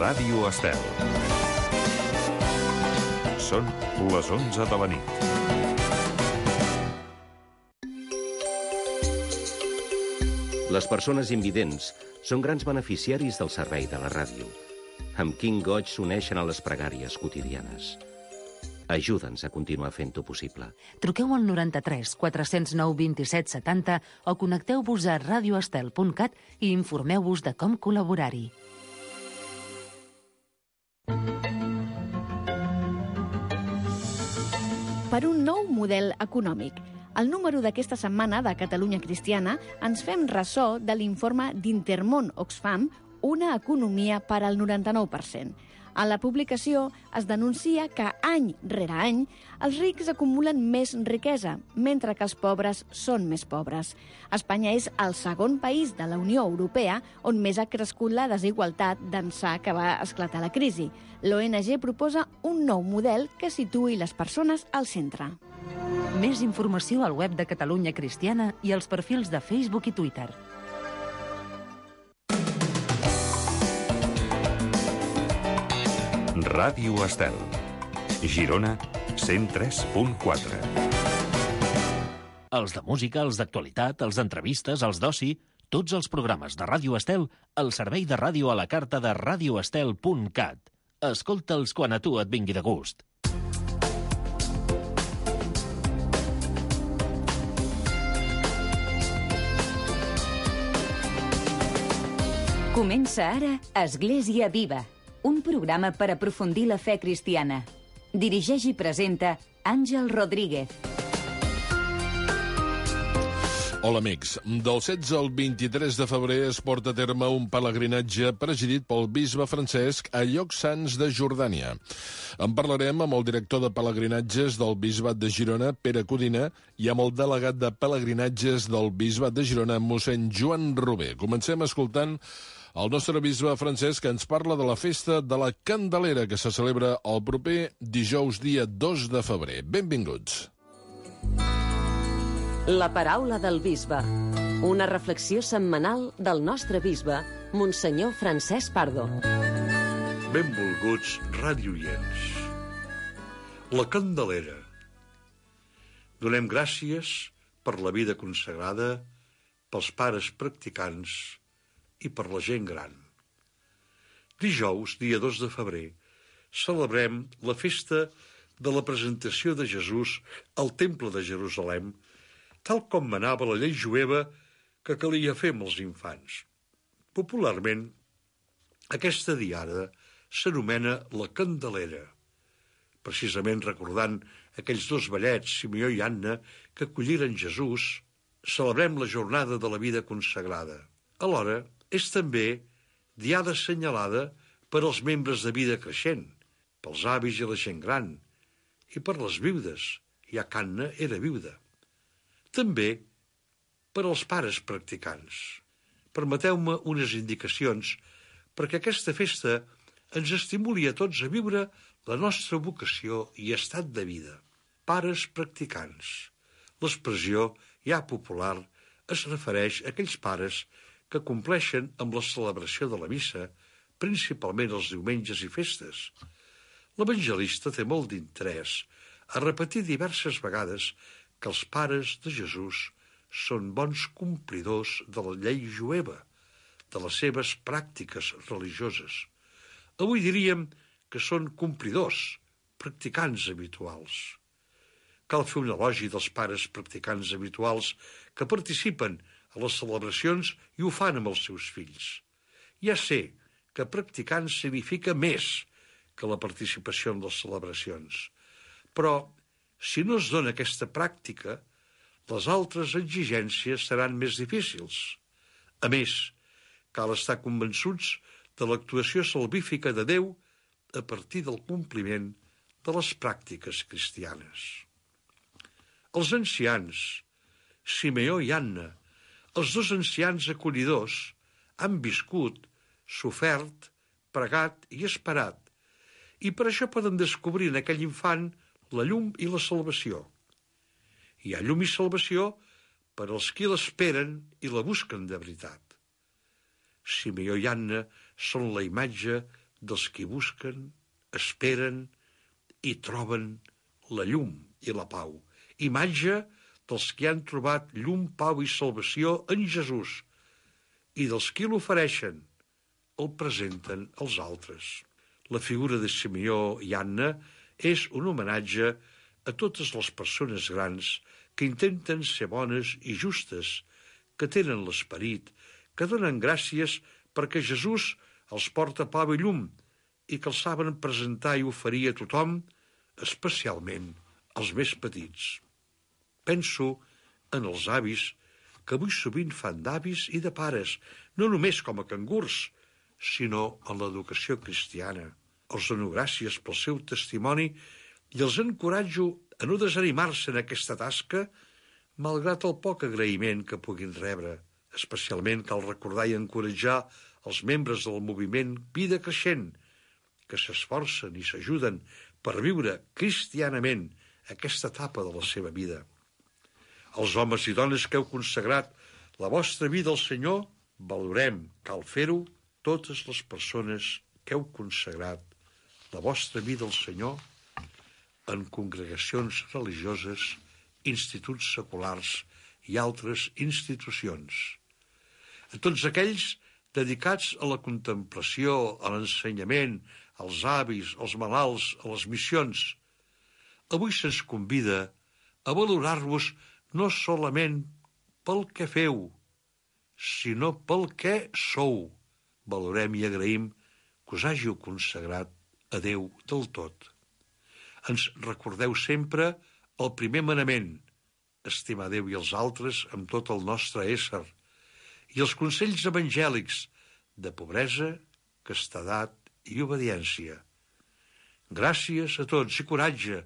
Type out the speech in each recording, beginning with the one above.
Ràdio Estel. Són les 11 de la nit. Les persones invidents són grans beneficiaris del servei de la ràdio. Amb quin goig s'uneixen a les pregàries quotidianes. Ajuda'ns a continuar fent-ho possible. Truqueu al 93 409 27 70 o connecteu-vos a radioestel.cat i informeu-vos de com col·laborar-hi. Per un nou model econòmic. Al número d'aquesta setmana de Catalunya Cristiana ens fem ressò de l'informe d'Intermón Oxfam, Una economia per al 99%. A la publicació es denuncia que any rere any els rics acumulen més riquesa, mentre que els pobres són més pobres. Espanya és el segon país de la Unió Europea on més ha crescut la desigualtat d'ençà que va esclatar la crisi. L'ONG proposa un nou model que situï les persones al centre. Més informació al web de Catalunya Cristiana i als perfils de Facebook i Twitter. Ràdio Estel. Girona, 103.4. Els de música, els d'actualitat, els d'entrevistes, els d'oci, tots els programes de Ràdio Estel al servei de ràdio a la carta de radioestel.cat. Escolta'ls quan a tu et vingui de gust. Comença ara Església Viva, un programa per aprofundir la fe cristiana. Dirigeix i presenta Àngel Rodríguez. Hola, amics. Del 16 al 23 de febrer es porta a terme un pelegrinatge presidit pel bisbe Francesc a llocs sants de Jordània. En parlarem amb el director de pelegrinatges del bisbat de Girona, Pere Codina, i amb el delegat de pelegrinatges del bisbat de Girona, mossèn Joan Rober. Comencem escoltant el nostre bisbe Francesc ens parla de la festa de la Candelera que se celebra el proper dijous dia 2 de febrer. Benvinguts. La paraula del bisbe. Una reflexió setmanal del nostre bisbe, Monsenyor Francesc Pardo. Benvolguts radioients. La Candelera. Donem gràcies per la vida consagrada, pels pares practicants i per la gent gran. Dijous, dia 2 de febrer, celebrem la festa de la presentació de Jesús al Temple de Jerusalem, tal com manava la llei jueva que calia fer amb els infants. Popularment, aquesta diada s'anomena la Candelera, precisament recordant aquells dos vellets, Simeó i Anna, que acolliren Jesús. Celebrem la jornada de la vida consagrada. Alhora, és també diada assenyalada per als membres de vida creixent, pels avis i la gent gran, i per les viudes, ja que Anna era viuda. També per als pares practicants. Permeteu-me unes indicacions perquè aquesta festa ens estimuli a tots a viure la nostra vocació i estat de vida. Pares practicants. L'expressió ja popular es refereix a aquells pares que compleixen amb la celebració de la missa, principalment els diumenges i festes. L'evangelista té molt d'interès a repetir diverses vegades que els pares de Jesús són bons complidors de la llei jueva, de les seves pràctiques religioses. Avui diríem que són complidors, practicants habituals. Cal fer un elogi dels pares practicants habituals que participen a les celebracions i ho fan amb els seus fills. Ja sé que practicant significa més que la participació en les celebracions, però si no es dona aquesta pràctica, les altres exigències seran més difícils. A més, cal estar convençuts de l'actuació salvífica de Déu a partir del compliment de les pràctiques cristianes. Els ancians, Simeó i Anna, els dos ancians acollidors, han viscut, sofert, pregat i esperat, i per això poden descobrir en aquell infant la llum i la salvació. Hi ha llum i salvació per als qui l'esperen i la busquen de veritat. Simeó i Anna són la imatge dels qui busquen, esperen i troben la llum i la pau. Imatge dels qui han trobat llum, pau i salvació en Jesús i dels qui l'ofereixen, el presenten als altres. La figura de Simeó i Anna és un homenatge a totes les persones grans que intenten ser bones i justes, que tenen l'esperit, que donen gràcies perquè Jesús els porta pau i llum i que els saben presentar i oferir a tothom, especialment als més petits. Penso en els avis, que avui sovint fan d'avis i de pares, no només com a cangurs, sinó en l'educació cristiana. Els dono gràcies pel seu testimoni i els encoratjo a no desanimar-se en aquesta tasca, malgrat el poc agraïment que puguin rebre. Especialment cal recordar i encoratjar els membres del moviment Vida Creixent, que s'esforcen i s'ajuden per viure cristianament aquesta etapa de la seva vida. Els homes i dones que heu consagrat la vostra vida al Senyor, valorem, cal fer-ho, totes les persones que heu consagrat la vostra vida al Senyor en congregacions religioses, instituts seculars i altres institucions. A tots aquells dedicats a la contemplació, a l'ensenyament, als avis, als malalts, a les missions, avui se'ns convida a valorar-vos no solament pel que feu, sinó pel que sou. Valorem i agraïm que us hàgiu consagrat a Déu del tot. Ens recordeu sempre el primer manament, estimar Déu i els altres amb tot el nostre ésser, i els consells evangèlics de pobresa, castedat i obediència. Gràcies a tots i coratge.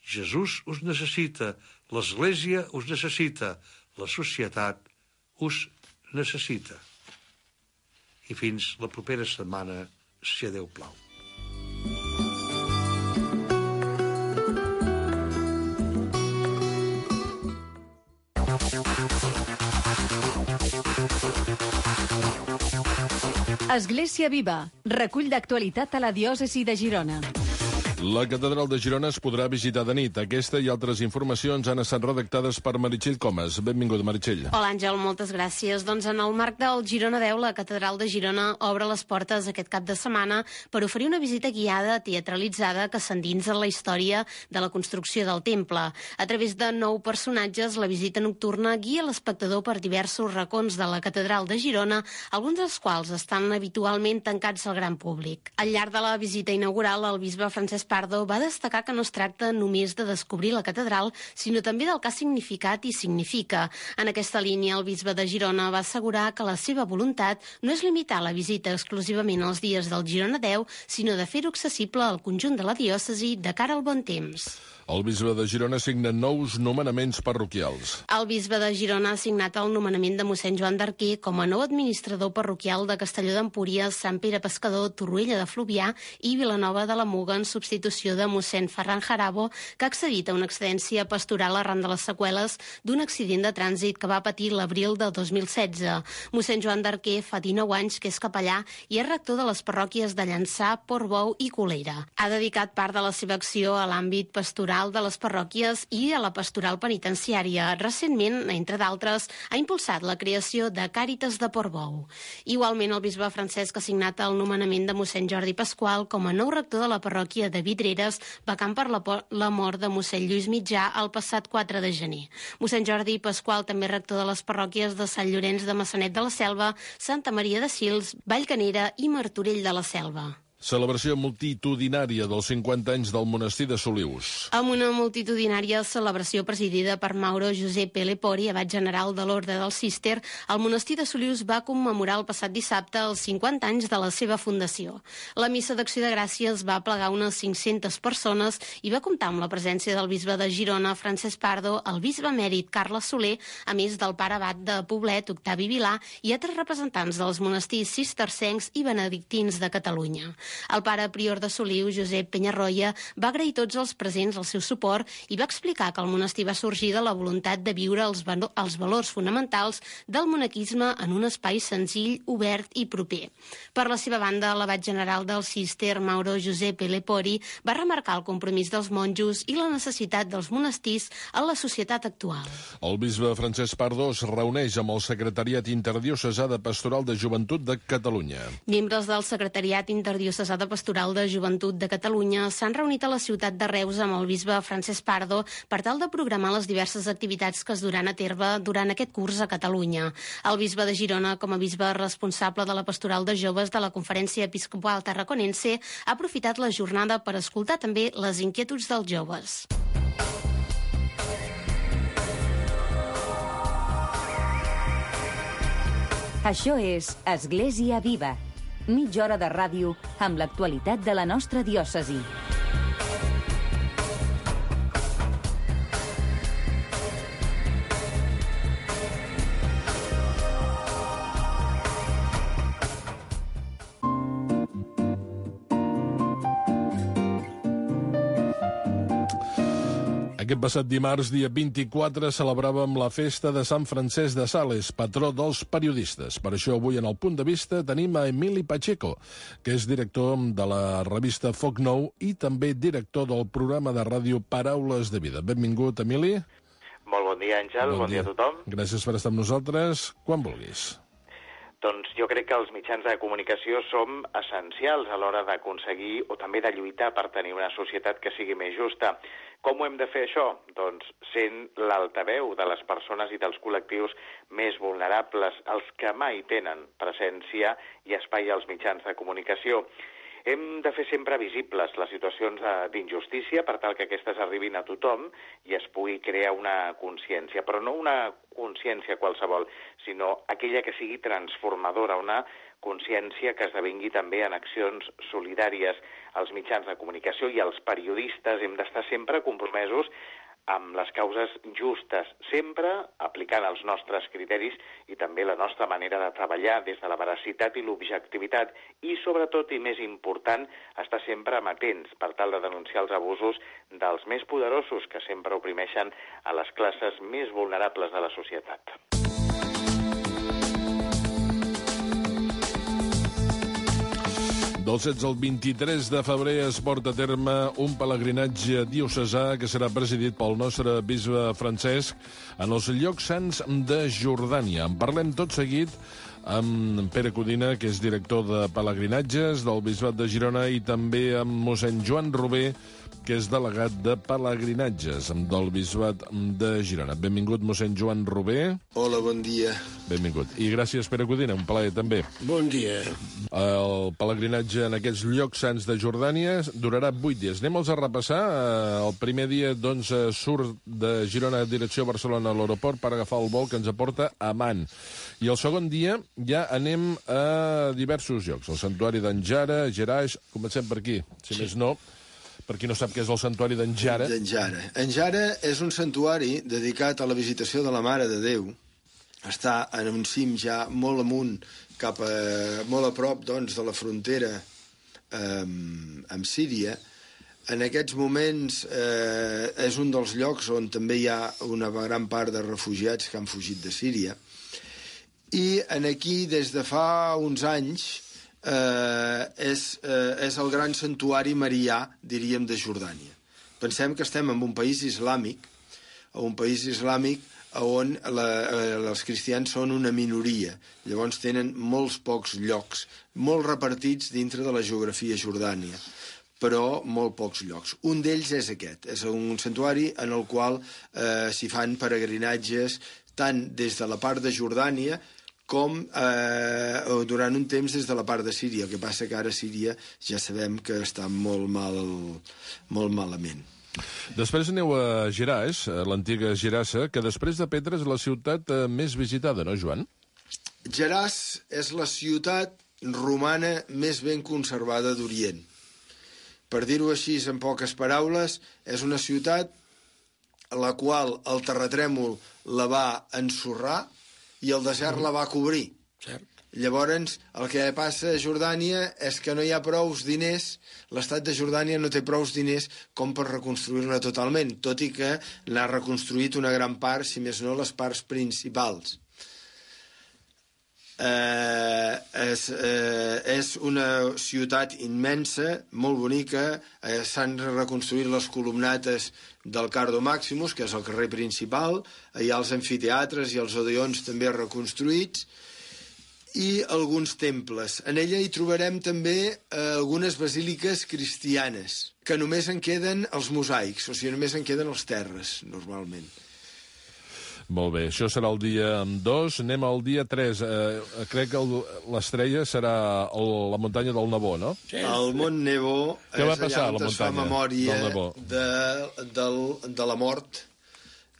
Jesús us necessita, l'Església us necessita, la societat us necessita. I fins la propera setmana, si a Déu plau. Església Viva, recull d'actualitat a la diòcesi de Girona. La catedral de Girona es podrà visitar de nit. Aquesta i altres informacions han estat redactades per Meritxell Comas. Benvinguda, Meritxell. Hola, Àngel, moltes gràcies. Doncs en el marc del Girona 10, la catedral de Girona obre les portes aquest cap de setmana per oferir una visita guiada teatralitzada que s'endinsa en la història de la construcció del temple. A través de 9 personatges, la visita nocturna guia l'espectador per diversos racons de la catedral de Girona, alguns dels quals estan habitualment tancats al gran públic. Al llarg de la visita inaugural, el bisbe Francesc Pardo va destacar que no es tracta només de descobrir la catedral, sinó també del que ha significat i significa. En aquesta línia, el bisbe de Girona va assegurar que la seva voluntat no és limitar la visita exclusivament als dies del Girona 10, sinó de fer-ho accessible al conjunt de la diòcesi de cara al bon temps. El bisbe de Girona signa nous nomenaments parroquials. El bisbe de Girona ha signat el nomenament de mossèn Joan d'Arquer com a nou administrador parroquial de Castelló d'Empúries, Sant Pere Pescador, Torroella de Fluvià i Vilanova de la Muga en substitució de mossèn Ferran Jarabo, que ha accedit a una excedència pastoral arran de les seqüeles d'un accident de trànsit que va patir l'abril del 2016. Mossèn Joan d'Arquer fa 19 anys que és capellà i és rector de les parròquies de Llançà, Portbou i Colera. Ha dedicat part de la seva acció a l'àmbit pastoral de les parròquies i a la pastoral penitenciària. Recentment, entre d'altres, ha impulsat la creació de Càritas de Portbou. Igualment, el bisbe Francesc ha signat el nomenament de mossèn Jordi Pasqual com a nou rector de la parròquia de Vidreres, vacant per la mort de mossèn Lluís Mitjà el passat 4 de gener. Mossèn Jordi Pasqual també rector de les parròquies de Sant Llorenç de Maçanet de la Selva, Santa Maria de Sils, Vallcanera i Martorell de la Selva. Celebració multitudinària dels 50 anys del monestir de Solius. Amb una multitudinària celebració presidida per Mauro Giuseppe Lepori, abat general de l'Orde del Cister, el monestir de Solius va commemorar el passat dissabte els 50 anys de la seva fundació. La missa d'acció de gràcies va plegar unes 500 persones i va comptar amb la presència del bisbe de Girona, Francesc Pardo, el bisbe emèrit Carles Soler, a més del pare abat de Poblet, Octavi Vilà, i altres representants dels monestirs cistercencs i benedictins de Catalunya. El pare prior de Soliu, Josep Penyarroia, va agrair a tots els presents el seu suport i va explicar que el monestir va sorgir de la voluntat de viure els valors fonamentals del monaquisme en un espai senzill, obert i proper. Per la seva banda, l'abat general del Cister, Mauro Giuseppe Lepori, va remarcar el compromís dels monjos i la necessitat dels monestirs en la societat actual. El bisbe Francesc Pardo es reuneix amb el Secretariat Interdiocesà de Pastoral de Joventut de Catalunya. Membres del Secretariat Interdiocesà de Pastoral de Joventut de Catalunya s'han reunit a la ciutat de Reus amb el bisbe Francesc Pardo per tal de programar les diverses activitats que es duran a terme durant aquest curs a Catalunya. El bisbe de Girona, com a bisbe responsable de la Pastoral de Joves de la Conferència Episcopal Tarraconense, ha aprofitat la jornada per escoltar també les inquietuds dels joves. Això és Església Viva, mitja hora de ràdio amb l'actualitat de la nostra diòcesi. Aquest passat dimarts, dia 24, celebràvem la festa de Sant Francesc de Sales, patró dels periodistes. Per això avui en el Punt de Vista tenim a Emili Pacheco, que és director de la revista Foc Nou i també director del programa de ràdio Paraules de Vida. Benvingut, Emili. Molt bon dia, Àngel. Bon dia a tothom. Gràcies per estar amb nosaltres. Quan vulguis. Doncs jo crec que els mitjans de comunicació som essencials a l'hora d'aconseguir o també de lluitar per tenir una societat que sigui més justa. Com ho hem de fer això? Doncs sent l'altaveu de les persones i dels col·lectius més vulnerables, els que mai tenen presència i espai als mitjans de comunicació. Hem de fer sempre visibles les situacions d'injustícia per tal que aquestes arribin a tothom i es pugui crear una consciència, però no una consciència qualsevol, sinó aquella que sigui transformadora, una consciència que esdevingui també en accions solidàries. Els mitjans de comunicació i els periodistes hem d'estar sempre compromesos amb les causes justes, sempre aplicant els nostres criteris i també la nostra manera de treballar des de la veracitat i l'objectivitat i, sobretot, i més important, estar sempre amatents per tal de denunciar els abusos dels més poderosos que sempre oprimeixen a les classes més vulnerables de la societat. Del 16 al 23 de febrer es porta a terme un pelegrinatge diocesà que serà presidit pel nostre bisbe Francesc en els llocs sants de Jordània. En parlem tot seguit amb Pere Codina, que és director de pelegrinatges del bisbat de Girona, i també amb mossèn Joan Robé, que és delegat de pelegrinatges del bisbat de Girona. Benvingut, mossèn Joan Robé. Hola, bon dia. Benvingut. I gràcies, Pere Codina, un plaer també. Bon dia. El pelegrinatge en aquests llocs sants de Jordània durarà 8 dies. Anem-los a repassar. El primer dia, doncs, surt de Girona a direcció a Barcelona a l'aeroport per agafar el vol que ens aporta a Amman. I el segon dia ja anem a diversos llocs. El santuari d'en Jara, Geraix, comencem per aquí, si més no. Per qui no sap què és el santuari d'en Jara. En Jara és un santuari dedicat a la visitació de la Mare de Déu. Està en un cim ja molt amunt, molt a prop, doncs, de la frontera amb Síria. En aquests moments és un dels llocs on també hi ha una gran part de refugiats que han fugit de Síria. I aquí, des de fa uns anys, és el gran santuari marià, diríem, de Jordània. Pensem que estem en un país islàmic on els cristians són una minoria. Llavors tenen molts pocs llocs, molt repartits dintre de la geografia jordània, però molt pocs llocs. Un d'ells és aquest, és un santuari en el qual s'hi fan peregrinatges tant des de la part de Jordània com durant un temps des de la part de Síria. El que passa que ara Síria ja sabem que està molt malament. Després aneu a Geraix, l'antiga Gerasa, que després de Petra és la ciutat més visitada, no, Joan? Geraç és la ciutat romana més ben conservada d'Orient. Per dir-ho així en poques paraules, és una ciutat a la qual el terratrèmol la va ensorrar i el desert la va cobrir. Llavors, el que passa a Jordània és que no hi ha prous diners, l'estat de Jordània no té prous diners com per reconstruir-la totalment, tot i que l'ha reconstruït una gran part, si més no les parts principals. És una ciutat immensa, molt bonica, s'han reconstruït les columnates del Cardo Maximus, que és el carrer principal, hi ha els amfiteatres i els odeons també reconstruïts, i alguns temples. En ella hi trobarem també algunes basíliques cristianes, que només en queden els mosaics, o sigui, només en queden els terres, normalment. Molt bé, això serà el dia 2. Anem al dia 3. Crec que l'estrella serà la muntanya del Nebó, no? Sí. El Mont Nebo és allà on es fa memòria de la mort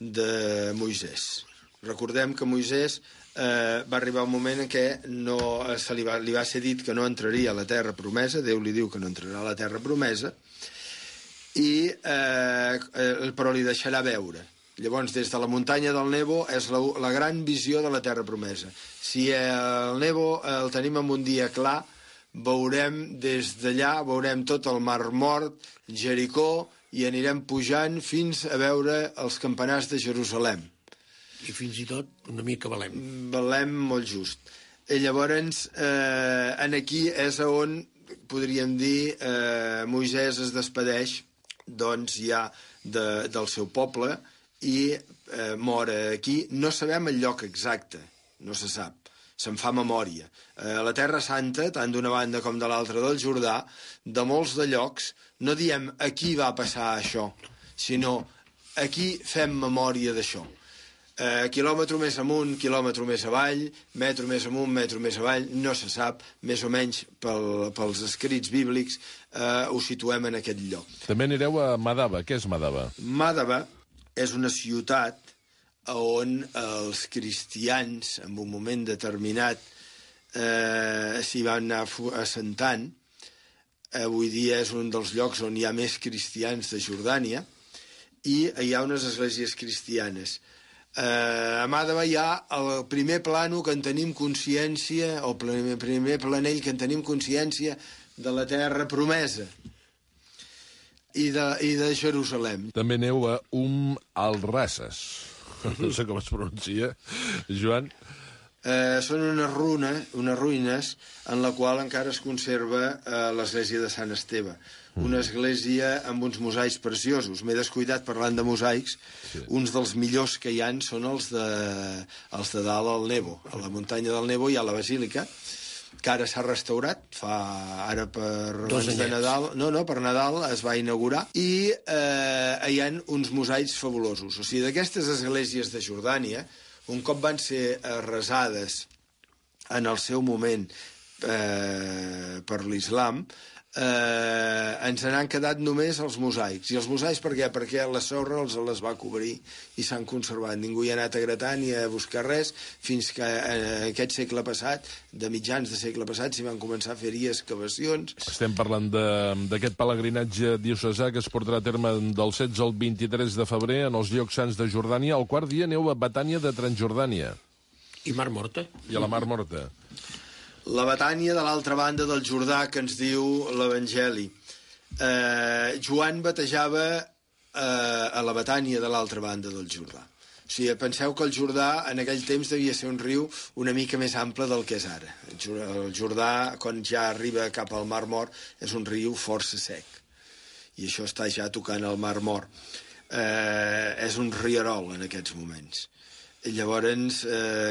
de Moisès. Recordem que Moisès va arribar un moment en què li va ser dit que no entraria a la terra promesa, Déu li diu que no entrarà a la terra promesa, però li deixarà veure. Llavors, des de la muntanya del Nebo és la gran visió de la terra promesa. Si el Nebo el tenim en un dia clar, veurem des d'allà, veurem tot el Mar Mort, Jericó, i anirem pujant fins a veure els campanars de Jerusalem. I fins i tot una mica Belém. Belém molt just. I llavors, aquí és on, podríem dir, Moisès es despedeix, doncs, ja del seu poble, i mor aquí. No sabem el lloc exacte, no se sap, se'n fa memòria. A la Terra Santa, tant d'una banda com de l'altra del Jordà, de molts de llocs, no diem aquí va passar això, sinó aquí fem memòria d'això. Quilòmetre més amunt, quilòmetre més avall, metro més amunt, metro més avall, no se sap, més o menys pels escrits bíblics ho situem en aquest lloc. També anireu a Madaba. Què és Madaba? Madaba és una ciutat on els cristians, en un moment determinat, s'hi van anar assentant. Avui dia és un dels llocs on hi ha més cristians de Jordània, i hi ha unes esglésies cristianes. A Madaba hi ha el primer plano que en tenim consciència, o el primer planell que en tenim consciència de la terra promesa i de Jerusalem. També aneu a al-Rases. No sé com es pronuncia, Joan. Són unes ruïnes en la qual encara es conserva l'església de Sant Esteve. Una església amb uns mosaics preciosos. M'he descuidat parlant de mosaics. Sí. Uns dels millors que hi ha són els de dalt al Nebo. A la muntanya del Nebo hi ha la basílica, que ara s'ha restaurat, ara per Nadal. No, per Nadal es va inaugurar, i hi ha uns mosaics fabulosos. O sigui, d'aquestes esglésies de Jordània, un cop van ser arrasades en el seu moment per l'islam, ens n'han quedat només els mosaics. I els mosaics per què? Perquè la sorra els les va cobrir i s'han conservat. Ningú hi ha anat a gratar ni a buscar res, fins que en aquest segle passat, de mitjans de segle passat, s'hi van començar a fer-hi excavacions. Estem parlant d'aquest pelegrinatge diocesà que es portarà a terme del 16 al 23 de febrer en els llocs sants de Jordània. El quart dia aneu a Betània de Transjordània. I Mar Morta. I a la Mar Morta. La Betània de l'altra banda del Jordà, que ens diu l'Evangeli. Joan batejava a la Betània de l'altra banda del Jordà. O sigui, penseu que el Jordà en aquell temps devia ser un riu una mica més ample del que és ara. El Jordà, quan ja arriba cap al Mar Mort, és un riu força sec. I això està ja tocant el Mar Mort. És un rierol en aquests moments. I llavors,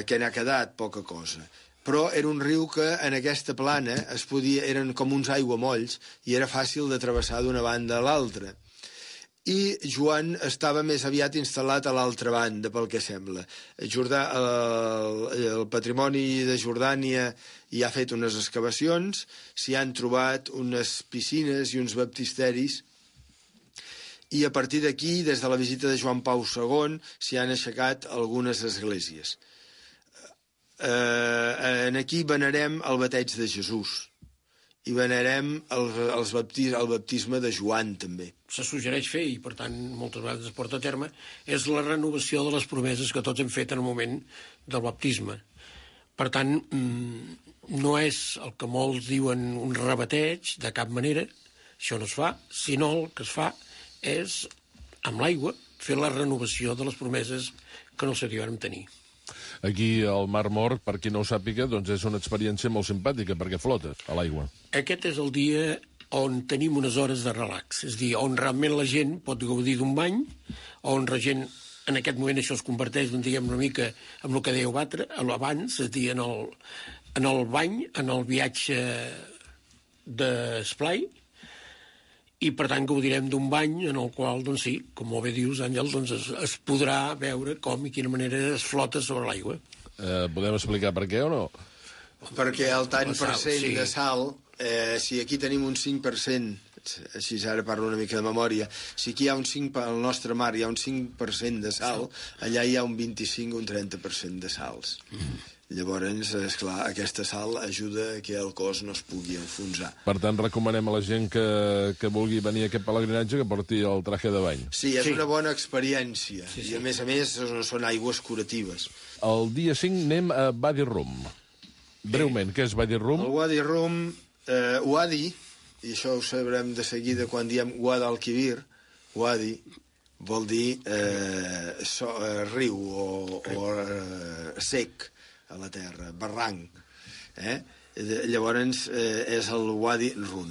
què n'ha quedat? Poca cosa. Però era un riu que en aquesta plana eren com uns aiguamolls i era fàcil de travessar d'una banda a l'altra. I Joan estava més aviat instal·lat a l'altra banda, pel que sembla. El patrimoni de Jordània hi ha fet unes excavacions, s'hi han trobat unes piscines i uns baptisteris, i a partir d'aquí, des de la visita de Joan Pau II, s'hi han aixecat algunes esglésies. Aquí venerem el bateig de Jesús i venerem el baptisme de Joan també. Se suggereix fer, i per tant moltes vegades es porta a terme, és la renovació de les promeses que tots hem fet en el moment del baptisme. Per tant, no és el que molts diuen un rebateig, de cap manera, això no es fa, sinó el que es fa és, amb l'aigua, fer la renovació de les promeses que no sabíem tenir. Aquí al Mar Mort, per qui no ho sàpiga, doncs és una experiència molt simpàtica, perquè flotes a l'aigua. Aquest és el dia on tenim unes hores de relax, és a dir, on realment la gent pot gaudir d'un bany, on la gent, en aquest moment això es converteix, diguem, una mica en el que dèieu abans, és a dir, en el bany, en el viatge d'esplai, i per tant gaudirem d'un bany en el qual, doncs sí, com molt bé dius, Àngel, doncs es podrà veure com i quina manera es flota sobre l'aigua. Podem explicar per què o no? Perquè el tant per cent de sal, si aquí tenim un 5%, així ara parlo una mica de memòria, si aquí hi ha un 5%, al nostre mar hi ha un 5% de sal, allà hi ha un 25 o un 30% de sals. Llavors, esclar, aquesta sal ajuda que el cos no es pugui enfonsar. Per tant, recomanem a la gent que vulgui venir a aquest pelegrinatge que porti el traje de bany. Sí, és una bona experiència. I a més són aigües curatives. El dia 5 anem a Wadi Rum. Breument, què és Wadi Rum? El Wadi Rum, Wadi, i això ho sabrem de seguida quan diem Guadalquivir, Wadi vol dir riu o sec a la terra, barranc. Llavors és el Wadi Rum.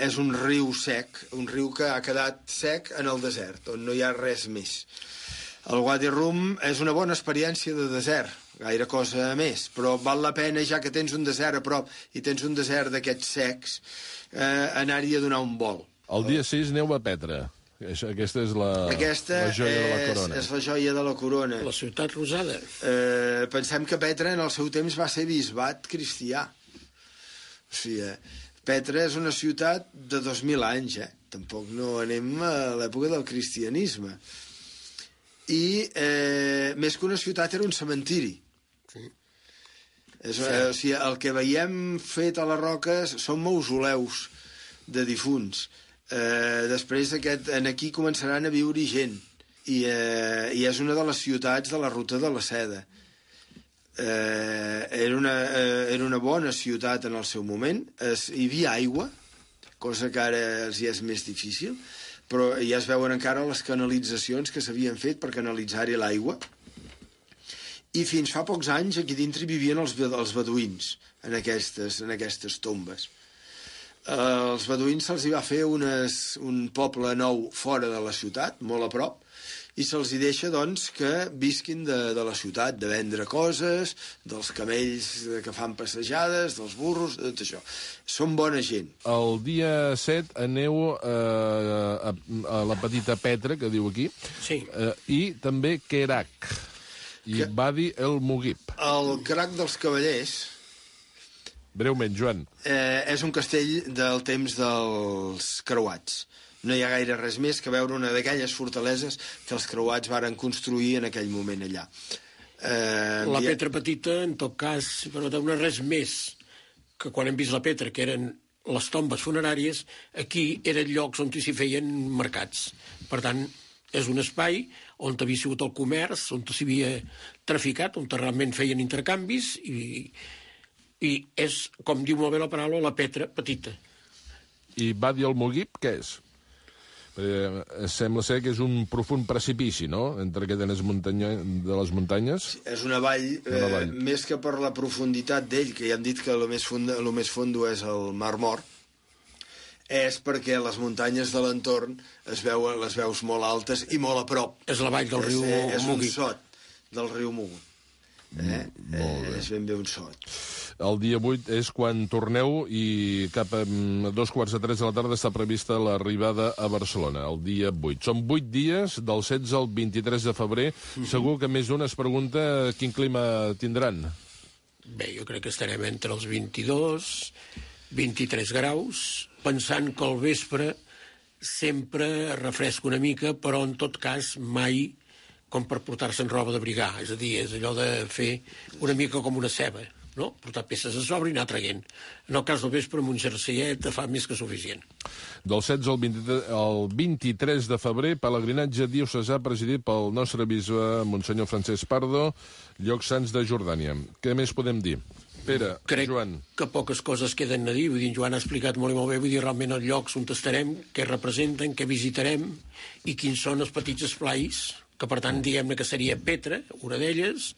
És un riu sec, un riu que ha quedat sec en el desert, on no hi ha res més. El Wadi Rum és una bona experiència de desert, gaire cosa més, però val la pena, ja que tens un desert a prop i tens un desert d'aquests secs, anar-hi a donar un vol. El dia 6 aneu a Petra. Aquesta és la joia de la corona. És la joia de la corona. La ciutat rosada. Pensem que Petra en el seu temps va ser bisbat cristià. O sigui, Petra és una ciutat de 2.000 anys, Tampoc no anem a l'època del cristianisme. I més que una ciutat era un cementiri. Sí. O sigui, el que veiem fet a les roques són mausoleus de difunts. Després aquí començaran a viure gent i és una de les ciutats de la ruta de la seda. Era una bona ciutat en el seu moment, hi havia aigua, cosa que ara els hi és més difícil, però ja es veuen encara les canalitzacions que s'havien fet per canalitzar-hi l'aigua, i fins fa pocs anys aquí dintre vivien els beduïns en aquestes tombes. Els beduïns se'ls va fer un poble nou fora de la ciutat, molt a prop, i se'ls deixa, doncs, que visquin de la ciutat, de vendre coses, dels camells que fan passejades, dels burros, de tot això. Són bona gent. El dia 7 aneu a la petita Petra, que diu aquí, i també Kerak, i Wadi el Mughib. El Kerak dels Cavallers... Breument, Joan. És un castell del temps dels creuats. No hi ha gaire res més que veure una d'aquelles fortaleses que els creuats varen construir en aquell moment allà. La Petra petita, en tot cas, però no res més que quan hem vist la Petra, que eren les tombes funeràries, aquí eren llocs on s'hi feien mercats. Per tant, és un espai on havia sigut el comerç, on s'havia traficat, on realment feien intercanvis i és, com diu molt bé la paraula, la Petra petita. I Wadi el Mughib, què és? Sembla ser que és un profund precipici, no?, entre aquestes de les muntanyes. És una vall, més que per la profunditat d'ell, que ja hem dit que el més fondo és el Mar Mort, és perquè les muntanyes de l'entorn les veus molt altes i molt a prop. És la vall del riu Mughib. És un sot del riu Mughib. És ben bé un sot. El dia 8 és quan torneu i cap a 2:45 de la tarda està prevista l'arribada a Barcelona, el dia 8. Són 8 dies, del 16 al 23 de febrer. Segur que més d'un es pregunta quin clima tindran. Bé, jo crec que estarem entre els 22, 23 graus, pensant que al vespre sempre refresca una mica, però en tot cas mai com per portar-se en roba d'abrigar. És a dir, és allò de fer una mica com una ceba, no? Portar peces a sobre i anar traient. En el cas del vespre, amb un jerseiet fa més que suficient. Del 16 al 23 de febrer, pelegrinatge diocesà presidit pel nostre bisbe, Monsenyor Francesc Pardo, llocs sants de Jordània. Què més podem dir? Pere, crec Joan. que poques coses queden a dir. Vull dir, en Joan ha explicat molt i molt bé, vull dir, realment els llocs on estarem, què representen, què visitarem i quins són els petits esplais, que per tant, diguem-ne que seria Petra, una d'elles,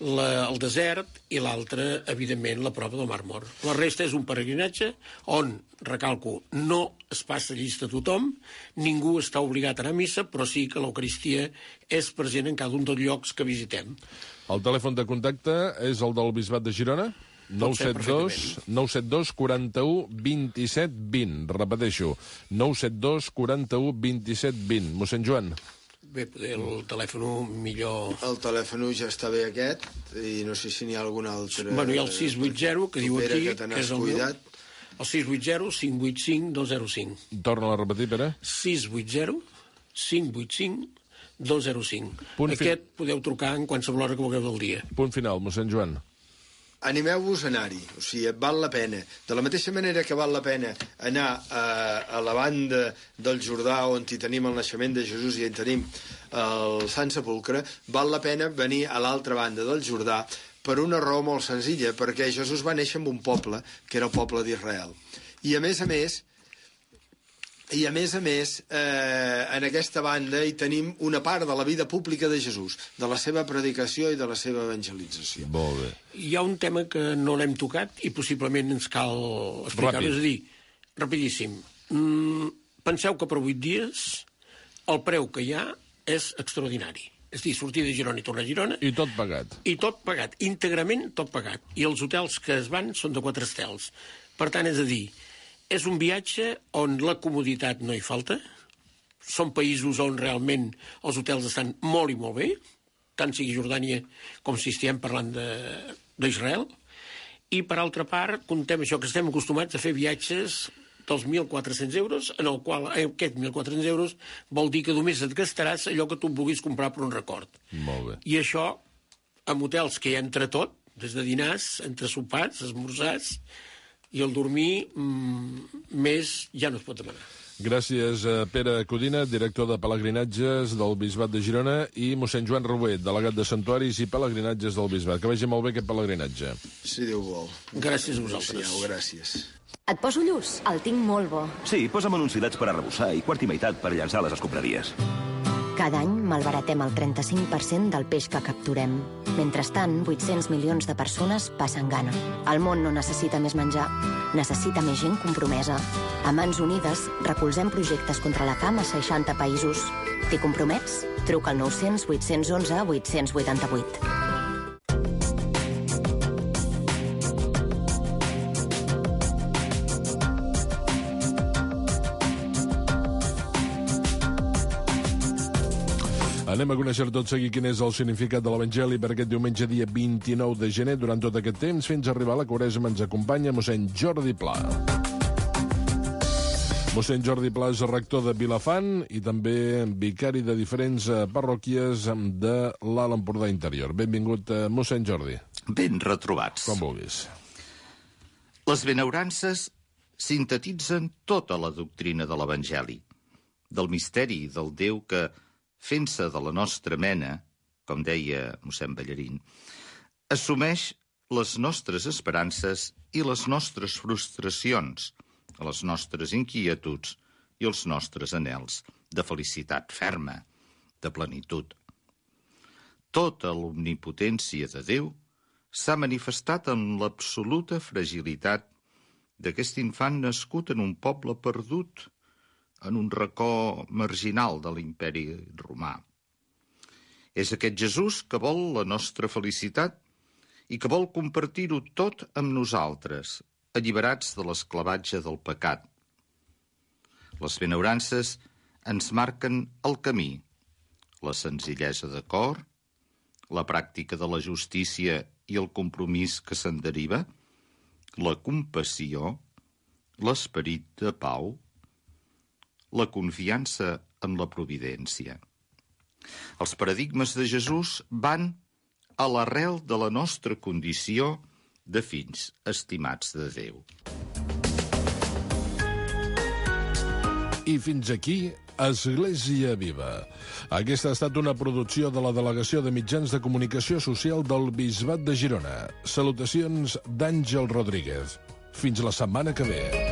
el desert i l'altra, evidentment, la prova del Mar Mort. La resta és un peregrinatge on, recalco, no es passa llista a tothom, ningú està obligat a anar a missa, però sí que l'Eucaristia és present en cada un dels llocs que visitem. El telèfon de contacte és el del Bisbat de Girona? 972 41 27 20. Repeteixo, 972 41 27 20. Mossèn Joan. Bé, el telèfon millor... El telèfon ja està bé aquest, i no sé si n'hi ha algun altre... Bueno, hi ha el 680, que diu aquí, que és el meu. El 680 585 205. Torna a repetir, Pere. 680 585 205. Aquest podeu trucar en qualsevol hora que vulgueu del dia. Punt final, mossèn Joan. Animeu-vos a anar-hi, o sigui, val la pena. De la mateixa manera que val la pena anar a la banda del Jordà, on hi tenim el naixement de Jesús i on tenim el Sant Sepulcre, val la pena venir a l'altra banda del Jordà per una raó molt senzilla, perquè Jesús va néixer en un poble, que era el poble d'Israel. I a més, en aquesta banda hi tenim una part de la vida pública de Jesús, de la seva predicació i de la seva evangelització. Molt bé. Hi ha un tema que no l'hem tocat i possiblement ens cal explicar-ho. És a dir, rapidíssim, penseu que per 8 dies el preu que hi ha és extraordinari. És a dir, sortir de Girona i tornar a Girona... I tot pagat. I tot pagat, íntegrament tot pagat. I els hotels que es van són de 4 estels. Per tant, és a dir, és un viatge on la comoditat no hi falta. Són països on realment els hotels estan molt i molt bé, tant sigui Jordània com si estiguem parlant d'Israel. I, per altra part, contem això, que estem acostumats a fer viatges dels 1.400 euros, en el qual aquest 1.400 euros vol dir que només et gastaràs allò que tu vulguis comprar per un record. Molt bé. I això, amb hotels que hi ha entre tot, des de dinars, entre sopars, esmorzars, i el dormir més ja no es pot demanar. Gràcies a Pere Codina, director de Pelegrinatges del Bisbat de Girona, i mossèn Joan Rober, delegat de Santuaris i Pelegrinatges del Bisbat. Que vagi molt bé aquest pelegrinatge. Si Déu vol. Gràcies a vosaltres. Adéu, gràcies. Et poso lluç? El tinc molt bo. Sí, posa'm anunciats per arrebossar i quart i meitat per llançar les escombraries. Cada any malbaratem el 35% del peix que capturem. Mentrestant, 800 milions de persones passen gana. El món no necessita més menjar, necessita més gent compromesa. A Mans Unides recolzem projectes contra la fam a 60 països. T'hi compromets? Truca al 900 811 888. Anem a conèixer tot seguit quin és el significat de l'Evangeli per aquest diumenge, dia 29 de gener. Durant tot aquest temps, fins a arribar a la Quaresma, ens acompanya mossèn Jordi Pla. Mossèn Jordi Pla és rector de Vilafant i també vicari de diferents parròquies de l'Alt Empordà Interior. Benvingut, mossèn Jordi. Ben retrobats. Com vulguis. Les benaurances sintetitzen tota la doctrina de l'Evangeli, del misteri del Déu que, fent-se de la nostra mena, com deia mossèn Ballarín, assumeix les nostres esperances i les nostres frustracions, les nostres inquietuds i els nostres anhels de felicitat ferma, de plenitud. Tota l'omnipotència de Déu s'ha manifestat en l'absoluta fragilitat d'aquest infant nascut en un poble perdut, en un racó marginal de l'imperi romà. És aquest Jesús que vol la nostra felicitat i que vol compartir-ho tot amb nosaltres, alliberats de l'esclavatge del pecat. Les benaurances ens marquen el camí, la senzillesa de cor, la pràctica de la justícia i el compromís que se'n deriva, la compassió, l'esperit de pau, la confiança en la providència. Els paradigmes de Jesús van a l'arrel de la nostra condició de fills estimats de Déu. I fins aquí Església Viva. Aquesta ha estat una producció de la Delegació de Mitjans de Comunicació Social del Bisbat de Girona. Salutacions d'Àngel Rodríguez. Fins la setmana que ve.